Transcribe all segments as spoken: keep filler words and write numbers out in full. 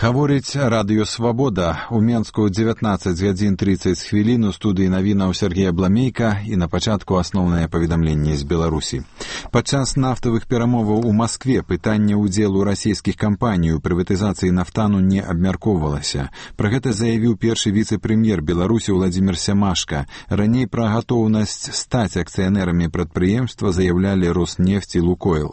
Гаворыць радыё «Свабода». У Менску дзевятнаццаць гадзін трыццаць хвілін у студыі навінаў Сергей Абламейка і на пачатку асноўнае паведамленне з Беларусі. Падчас нафтавых перамоваў у Маскве пытанне ўдзелу расійскіх кампаній у прыватызацыі нафтану не абмяркоўвалася. Пра гэта заявіў першы віцэ-прэм'ер Беларусі Владзімір Сямашка. Раней пра гатоўнасць стаць акцыянэрамі прадпрыемства заяўлялі Роснефть і Лукойл.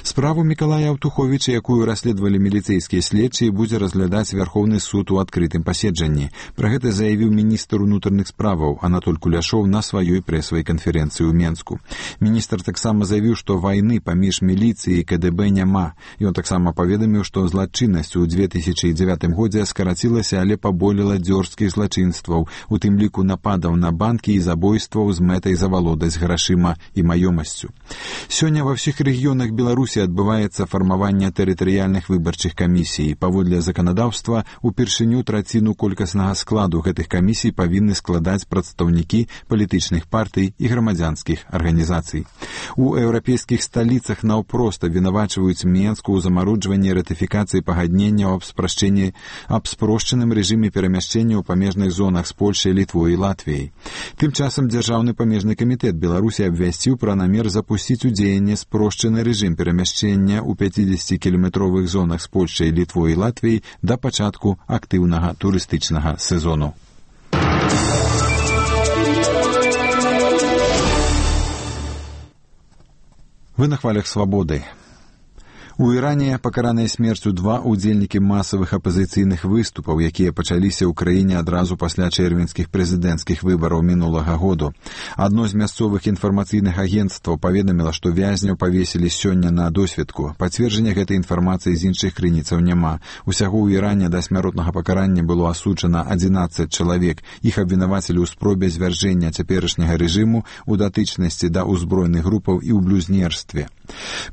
Справу Мікалая Аўтуховіча, якую расследавалі міліцэйскія следчыя, будзе разглядаць Вярхоўны суд у адкрытым паседжанні. Пра гэта заявіў міністр унутраных справаў Анатоль Куляшоў на сваёй прэсавай канферэнцыі ў Менску. Міністр таксама заявіў, што вайны паміж міліцыяй і КДБ няма. Ён таксама паведаміў, што злачыннасць у две тысячы дзевятым годзе скарацілася, але паболела дзёрзкіх злачынстваў, у тым ліку нападаў на банкі і забойстваў з мэтай завалодаць грашыма і маёмасцю. Сёння ва ўсіх рэгіёнах Беларусі адбываецца фармаванне тэрытарыяльных выбарчых камісій. Паводле заканадаўства, упершыню траціну колькаснага складу гэтых камісій павінны складаць прадстаўнікі палітычных партый і грамадзянскіх арганізацый. У еўрапейскіх сталіцах наўпрост абвінавачваюць Менску ў замароджванні ратыфікацыі пагаднення аб спрашчэнні аб спрошчаным рэжыме перамяшчэння ў памежных зонах з Польшай, Літвой і Латвіяй. Тым часам Дзяржаўны памежны камітэт Беларусі абвясціў пра намер запусціць у дзеянне спрошчаны рэжым перамяшчэння ў пяцідзесяцікіламетровых зонах з Польшай, Літвой і Латвіяй да пачатку актыўнага турыстычнага сезону. Вы на хвалях свабоды. У Іране пакараныя смерцю два удзельнікі масавых апазіцыйных выступаў, якія пачаліся ў краіне адразу пасля чэрвеньскіх прэзідэнцкіх выбараў мінулага году. Адно з мясцовых інфармацыйных агенцтваў паведаміла, што вязняў павесілі сёння на досведку. Пацверджання гэтай інфармацыі з іншых крыніцаў няма. Усяго ў Іране да смяротнага пакарання было асуджана адзінаццаць чалавек. Іх абвінавацілі ў спробе звяржэння цяперашняга рэжыму, у датычнасці да ўзброеных групаў і ў блюзнерстве.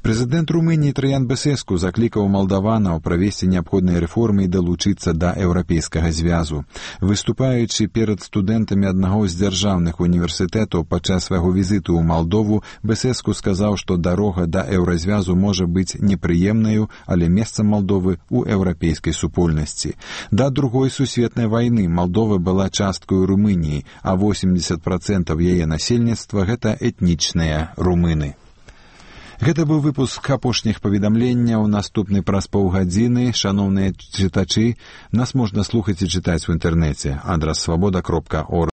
Прэзідэнт Румыніі Траян Бесеску заклікаў малдаванаў правесці неабходныя рэформы і далучыцца да еўрапейскага звязу. Выступаючы перад студэнтамі аднаго з дзяржаўных універсітэтаў падчас свайго візіту ў Малдову, Бесеску сказаў, што дарога да еўразвязу можа быць непрыемнаю, але месцам Малдовы ў еўрапейскай супольнасці. Да другой сусветнай вайны Малдова была часткаю Румыніі, а восемьдесят процентов яе насельніцтва гэта этнічныя румыны. Гэта быў выпуск апошніх паведамленняў. Наступны праз паўгадзіны. Шаноўныя чытачы, нас можна слухаць і чытаць у інтэрнэце. Адрас свабода кропка орг.